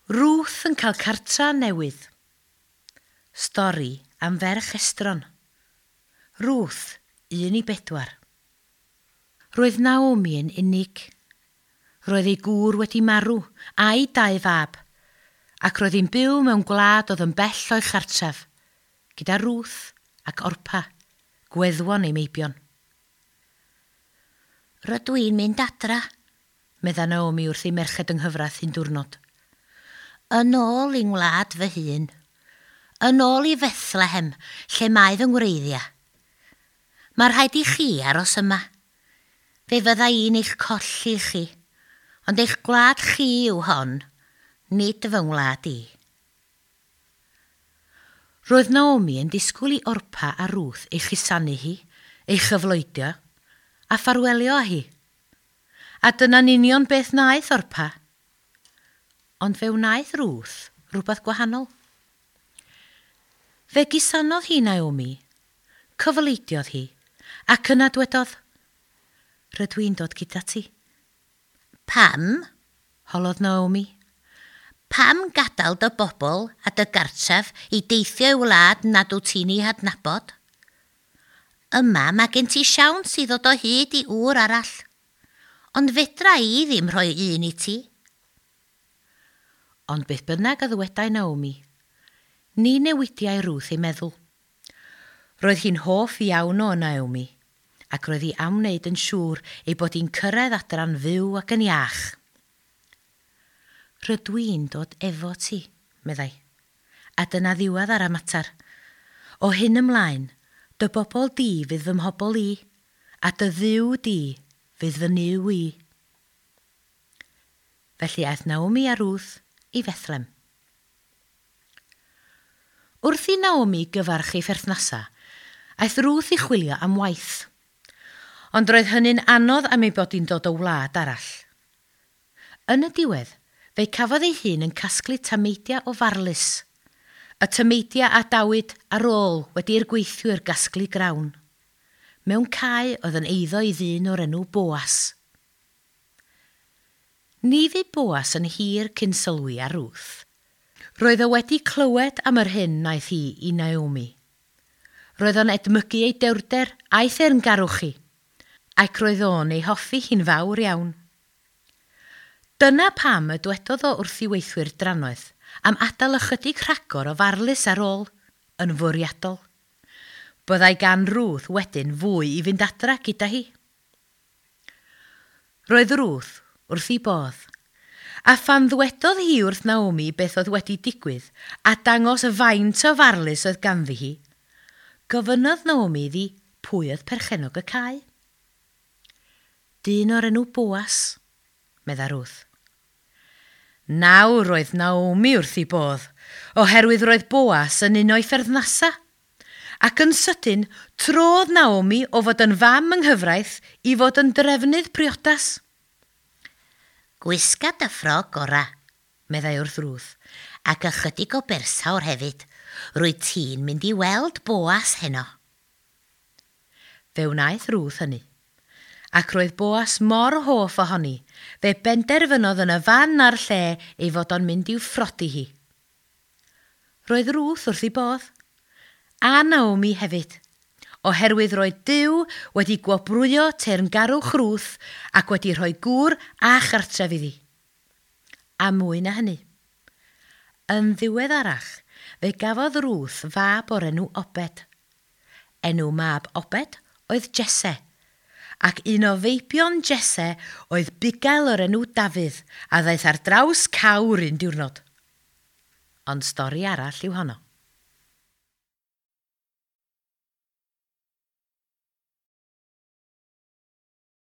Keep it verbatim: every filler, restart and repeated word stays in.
Ruth yn cael cartra newydd. Stori am ferch estron. Ruth, un i bedwar. Roedd Naomi yn unig. Roedd ei gŵr wedi marw, a'i dau fab, ac roedd hi'n byw mewn gwlad oedd yn bell o'i chartref, gyda Ruth ac Orpa, gweddwon ei meibion. Rydw i'n mynd adra, medda Naomi wrth ei merched yng nghyfraith un diwrnod. Yn ôl i'n ngwlad fy hun. Yn ôl i Fethlehem, lle mae fy ngwreiddiau. Mae rhaid i chi aros yma. Fe fydda i'n eich colli chi, ond eich gwlad chi yw hon, nid fy ngwlad i. Roedd Naomi yn disgwyl i Orpa a Ruth ei chusanu hi, ei chyfloedio, a ffarwelio â hi. A dyna'n union beth wnaeth Orpa. Ond fe wnaeth Ruth rhywbeth gwahanol. Fe gusanodd hi Naomi, cyfleidiodd hi, ac yna dwedodd, "Rydw i'n dod gyda ti." Pam? Holodd Naomi. Pam gadael dy bobl a dy gartref i deithio i wlad nad wyt ti'n ei hadnabod? Yma mae gen ti siawns i ddod o hyd i ŵr arall, ond fedra i ddim rhoi un i ti. Ond beth bynnag a ddywedai Naomi, ni newidiai Ruth ei meddwl. Roedd hi'n hoff iawn o Naomi, ac roedd hi am wneud yn siŵr ei bod hi'n cyrraedd adra'n fyw ac yn iach. Rydw i'n dod efo ti, meddai. A dyna ddiwedd ar y mater. O hyn ymlaen, dy bobl di fydd fy mhobl i, a dy Dduw di fydd fy Nuw i. Felly aeth Naomi a Ruth i Fethlem. Wrth i Naomi gyfarch ei pherthnasa, aeth Ruth i chwilio am waith. Ond roedd hynny'n anodd am ei bod hi'n dod o wlad arall. Yn y diwedd, fe'i cafodd ei hun yn casglu tameidiau o farlys. Y tameidiau a adawyd ar ôl wedi i'r gweithwyr gasglu grawn. Mewn cae oedd yn eiddo i ddyn o'r enw Boas. Ni fu Boas yn hir cyn sylwi ar Ruth. Roedd o wedi clywed am yr hyn wnaeth hi i Naomi. Roedd o'n edmygu ei dewrder a'i theyrngarwch hi, ac roedd o'n ei hoffi hi'n fawr iawn. Dyna pam y dwedodd o wrth ei weithwyr drannoeth am adael ychydig rhagor o farlys ar ôl, yn fwriadol. Byddai gan Ruth wedyn fwy i fynd adra gyda hi. Roedd Ruth wrth ei bodd, a phan ddwedodd hi wrth Naomi beth oedd wedi digwydd a dangos y faint o farlys oedd ganddi hi, gofynnodd Naomi iddi pwy oedd perchennog y cae. Dyn o'r enw Boas, medda Ruth. Nawr roedd Naomi wrth ei bodd, oherwydd roedd Boas yn un o'i pherthnasa. Ac yn sydyn, trodd Naomi o fod yn fam yng nghyfraith i fod yn drefnydd priodas. Gwisga dy ffrog ora, meddai wrth Ruth. Ac ychydig o bersawr hefyd. Rwyt ti'n mynd i weld Boas heno. Fe wnaeth Ruth hynny. Ac roedd Boas mor hoff ohoni, fe benderfynodd yn y fan a'r lle ei fod o'n mynd i'w phrodi hi. Roedd Ruth wrth ei bodd, a Naomi hefyd, oherwydd roedd Duw wedi gwobrwyo teyrngarwch Ruth ac wedi rhoi gŵr a chartref iddi. A mwy na hynny. Yn ddiweddarach, fe gafodd Ruth fab o'r enw Obed. Enw mab Obed oedd Jesse, ac un o feibion Jesse oedd bugail o'r enw Dafydd a ddaeth ar draws cawr un diwrnod. Ond stori arall yw honno.